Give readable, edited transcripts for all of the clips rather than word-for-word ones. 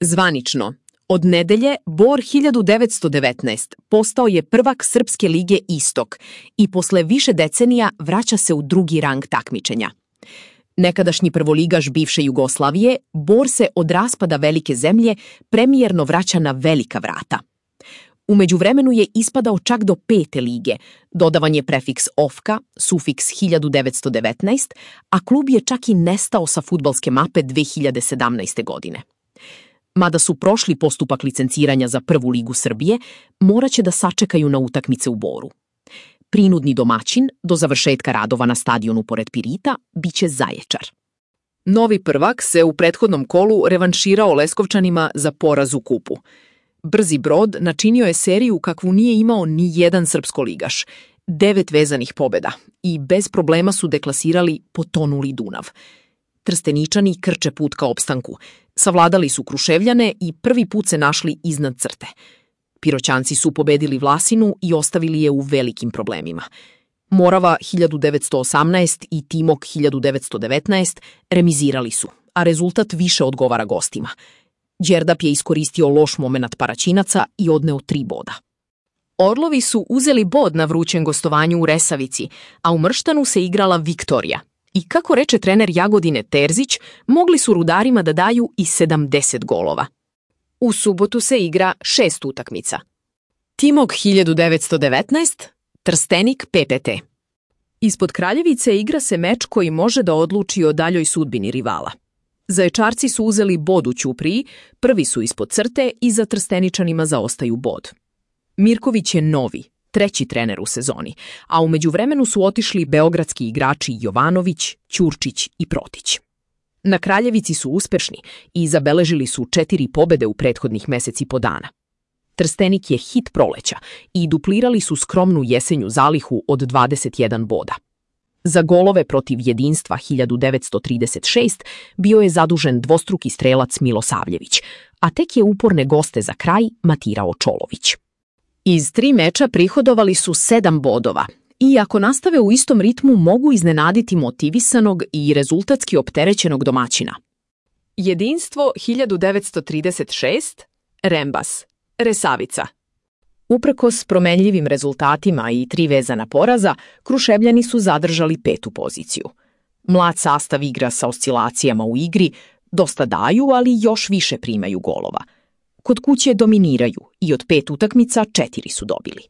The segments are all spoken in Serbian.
Zvanično, od nedelje Bor 1919 postao je prvak Srpske lige Istok i posle više decenija vraća se u drugi rang takmičenja. Nekadašnji prvoligaš bivše Jugoslavije, Bor se od raspada velike zemlje premijerno vraća na velika vrata. U međuvremenu je ispadao čak do 5. lige, dodavan je prefiks OFKA, sufiks 1919, a klub je čak i nestao sa fudbalske mape 2017. godine. Mada su prošli postupak licenciranja za Prvu ligu Srbije, morat će da sačekaju na utakmice u Boru. Prinudni domaćin, do završetka radova na stadionu pored Pirita, biće Zaječar. Novi prvak se u prethodnom kolu revanširao Leskovčanima za poraz u kupu. Brzi Brod načinio je seriju kakvu nije imao ni jedan srpskoligaš, 9 vezanih pobjeda i bez problema su deklasirali potonuli Dunav. Trsteničani krče put ka opstanku, savladali su Kruševljane i prvi put se našli iznad crte. Piroćanci su pobedili Vlasinu i ostavili je u velikim problemima. Morava 1918 i Timok 1919 remizirali su, a rezultat više odgovara gostima. Đerdap je iskoristio loš moment Paraćinaca i odneo 3 boda. Orlovi su uzeli bod na vrućem gostovanju u Resavici, a u Mrštanu se igrala Viktorija. I kako reče trener Jagodine Terzić, mogli su Rudarima da daju i 70 golova. U subotu se igra 6 utakmica. Timok 1919, Trstenik PPT. Ispod Kraljevice igra se meč koji može da odluči o daljoj sudbini rivala. Zaječarci su uzeli bod u Ćupriji, prvi su ispod crte i za Trsteničanima zaostaju bod. Mirković je novi, 3. trener u sezoni, a u međuvremenu su otišli beogradski igrači Jovanović, Ćurčić i Protić. Na Kraljevici su uspešni i zabeležili su 4 pobede u prethodnih meseci po dana. Trstenik je hit proleća i duplirali su skromnu jesenju zalihu od 21 boda. Za golove protiv Jedinstva 1936 bio je zadužen dvostruki strelac Milosavljević, a tek je uporne goste za kraj matirao Čolović. Iz 3 meča prihodovali su 7 bodova i ako nastave u istom ritmu mogu iznenaditi motivisanog i rezultatski opterećenog domaćina. Jedinstvo 1936, Rembas, Resavica. Uprkos promenljivim rezultatima i 3 vezana poraza, Kruševljani su zadržali 5. poziciju. Mlad sastav igra sa oscilacijama u igri, dosta daju, ali još više primaju golova. Kod kuće dominiraju i od 5 utakmica 4 su dobili.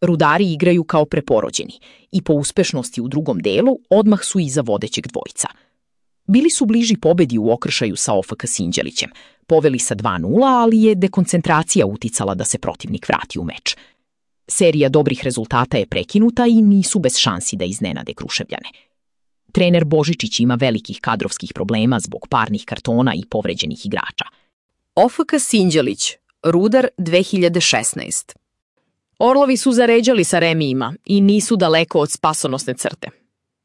Rudari igraju kao preporođeni i po uspešnosti u drugom delu odmah su iza vodećeg dvojca. Bili su bliži pobedi u okršaju sa OFK Sinđelićem, poveli sa 2:0, ali je dekoncentracija uticala da se protivnik vrati u meč. Serija dobrih rezultata je prekinuta i nisu bez šansi da iznenade Kruševljane. Trener Božičić ima velikih kadrovskih problema zbog parnih kartona i povređenih igrača. OFK Sinđelić, Rudar 2016. Orlovi su zaređali sa remijima i nisu daleko od spasonosne crte.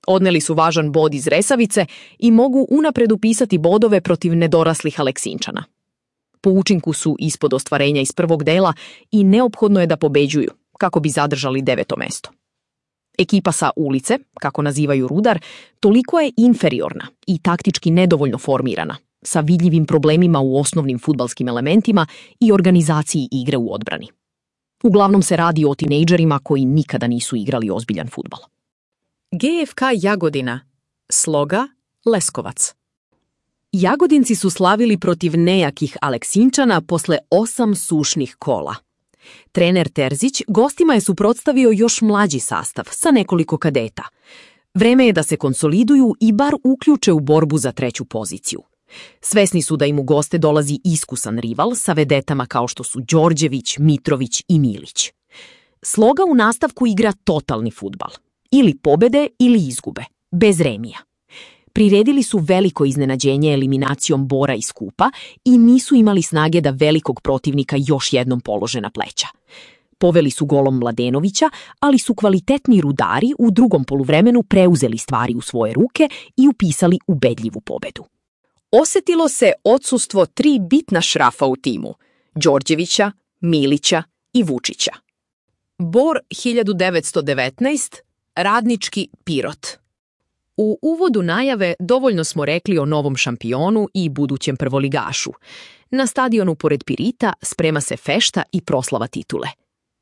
Odneli su važan bod iz Resavice i mogu unapred upisati bodove protiv nedoraslih Aleksinčana. Po učinku su ispod ostvarenja iz prvog dela i neophodno je da pobeđuju, kako bi zadržali 9. mesto. Ekipa sa ulice, kako nazivaju Rudar, toliko je inferiorna i taktički nedovoljno formirana, sa vidljivim problemima u osnovnim fudbalskim elementima i organizaciji igre u odbrani. Uglavnom se radi o tinejdžerima koji nikada nisu igrali ozbiljan fudbal. GFK Jagodina, Sloga, Leskovac. Jagodinci su slavili protiv nejakih Aleksinčana posle 8 sušnih kola. Trener Terzić gostima je suprotstavio još mlađi sastav sa nekoliko kadeta. Vreme je da se konsoliduju i bar uključe u borbu za 3. poziciju. Svesni su da im u goste dolazi iskusan rival sa vedetama kao što su Đorđević, Mitrović i Milić. Sloga u nastavku igra totalni fudbal. Ili pobede ili izgube, bez remija. Priredili su veliko iznenađenje eliminacijom Bora iz kupa i nisu imali snage da velikog protivnika još jednom polože na pleća. Poveli su golom Mladenovića, ali su kvalitetni Rudari u drugom poluvremenu preuzeli stvari u svoje ruke i upisali ubedljivu pobedu. Osetilo se odsustvo 3 bitna šrafa u timu, Đorđevića, Milića i Vučića. Bor 1919, Radnički Pirot. U uvodu najave dovoljno smo rekli o novom šampionu i budućem prvoligašu. Na stadionu pored Pirita sprema se fešta i proslava titule.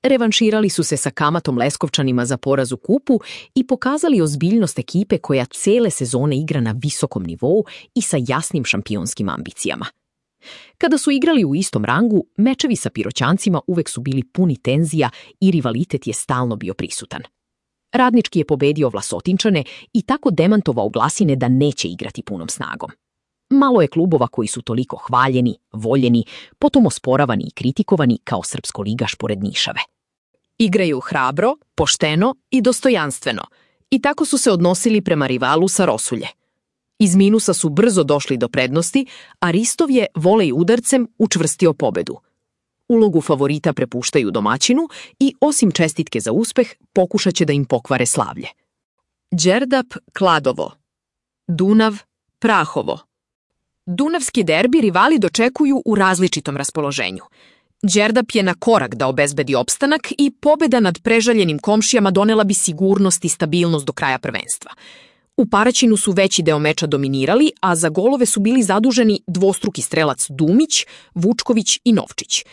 Revanširali su se sa Kamatom Leskovčanima za poraz u kupu i pokazali ozbiljnost ekipe koja cele sezone igra na visokom nivou i sa jasnim šampionskim ambicijama. Kada su igrali u istom rangu, mečevi sa Piroćancima uvek su bili puni tenzija i rivalitet je stalno bio prisutan. Radnički je pobedio Vlasotinčane i tako demantovao glasine da neće igrati punom snagom. Malo je klubova koji su toliko hvaljeni, voljeni, potom osporavani i kritikovani kao srpskoligaš pored Nišave. Igraju hrabro, pošteno i dostojanstveno i tako su se odnosili prema rivalu sa Rosulje. Iz minusa su brzo došli do prednosti, a Ristov je volej udarcem učvrstio pobedu. Ulogu favorita prepuštaju domaćinu i, osim čestitke za uspeh, pokušat će da im pokvare slavlje. Đerdap Kladovo, Dunav Prahovo. Dunavski derbi rivali dočekuju u različitom raspoloženju. Đerdap je na korak da obezbedi opstanak i pobeda nad prežaljenim komšijama donela bi sigurnost i stabilnost do kraja prvenstva. U Paraćinu su veći deo meča dominirali, a za golove su bili zaduženi dvostruki strelac Dumić, Vučković i Novčić.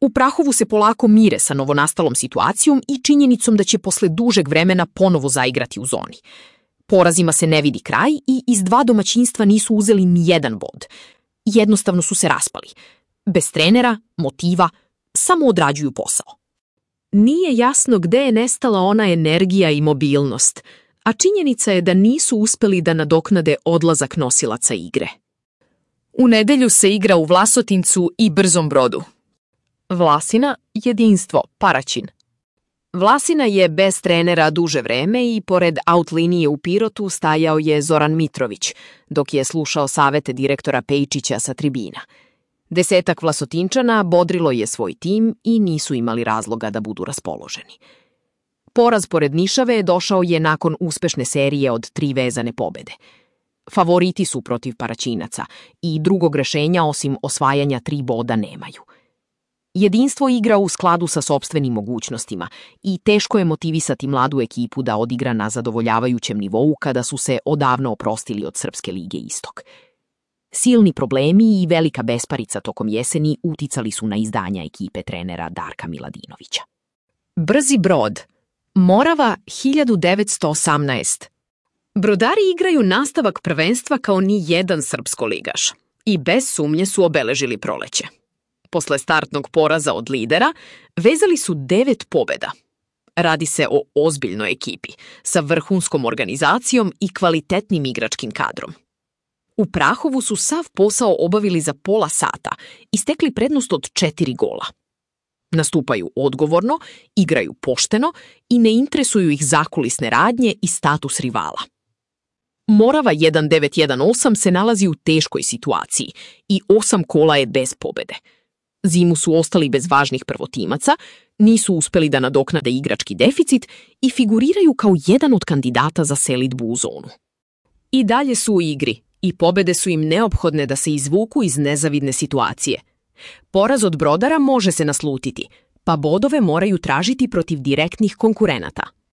U Prahovu se polako mire sa novonastalom situacijom i činjenicom da će posle dužeg vremena ponovo zaigrati u zoni. Porazima se ne vidi kraj i iz dva domaćinstva nisu uzeli ni jedan bod. Jednostavno su se raspali. Bez trenera, motiva, samo odrađuju posao. Nije jasno gde je nestala ona energija i mobilnost, a činjenica je da nisu uspeli da nadoknade odlazak nosilaca igre. U nedelju se igra u Vlasotincu i Brzom Brodu. Vlasina, jedinstvo, Paraćin. Vlasina je bez trenera duže vreme i pored out linije u Pirotu stajao je Zoran Mitrović, dok je slušao savete direktora Pejčića sa tribina. 10 Vlasotinčana bodrilo je svoj tim i nisu imali razloga da budu raspoloženi. Poraz pored Nišave došao je nakon uspešne serije od 3 vezane pobede. Favoriti su protiv Paraćinaca i drugog rešenja osim osvajanja 3 boda nemaju. Jedinstvo igra u skladu sa sopstvenim mogućnostima i teško je motivisati mladu ekipu da odigra na zadovoljavajućem nivou kada su se odavno oprostili od Srpske lige Istok. Silni problemi i velika besparica tokom jeseni uticali su na izdanja ekipe trenera Darka Miladinovića. Brzi Brod, Morava 1918. Brodari igraju nastavak prvenstva kao ni jedan srpskoligaš i bez sumnje su obeležili proleće. Posle startnog poraza od lidera, vezali su 9 pobeda. Radi se o ozbiljnoj ekipi, sa vrhunskom organizacijom i kvalitetnim igračkim kadrom. U Prahovu su sav posao obavili za pola sata i stekli prednost od 4 gola. Nastupaju odgovorno, igraju pošteno i ne interesuju ih zakulisne radnje i status rivala. Morava 1918 se nalazi u teškoj situaciji i 8 kola je bez pobede. Zimu su ostali bez važnih prvotimaca, nisu uspeli da nadoknade igrački deficit i figuriraju kao jedan od kandidata za selidbu u zonu. I dalje su u igri i pobede su im neophodne da se izvuku iz nezavidne situacije. Poraz od Brodara može se naslutiti, pa bodove moraju tražiti protiv direktnih konkurenata.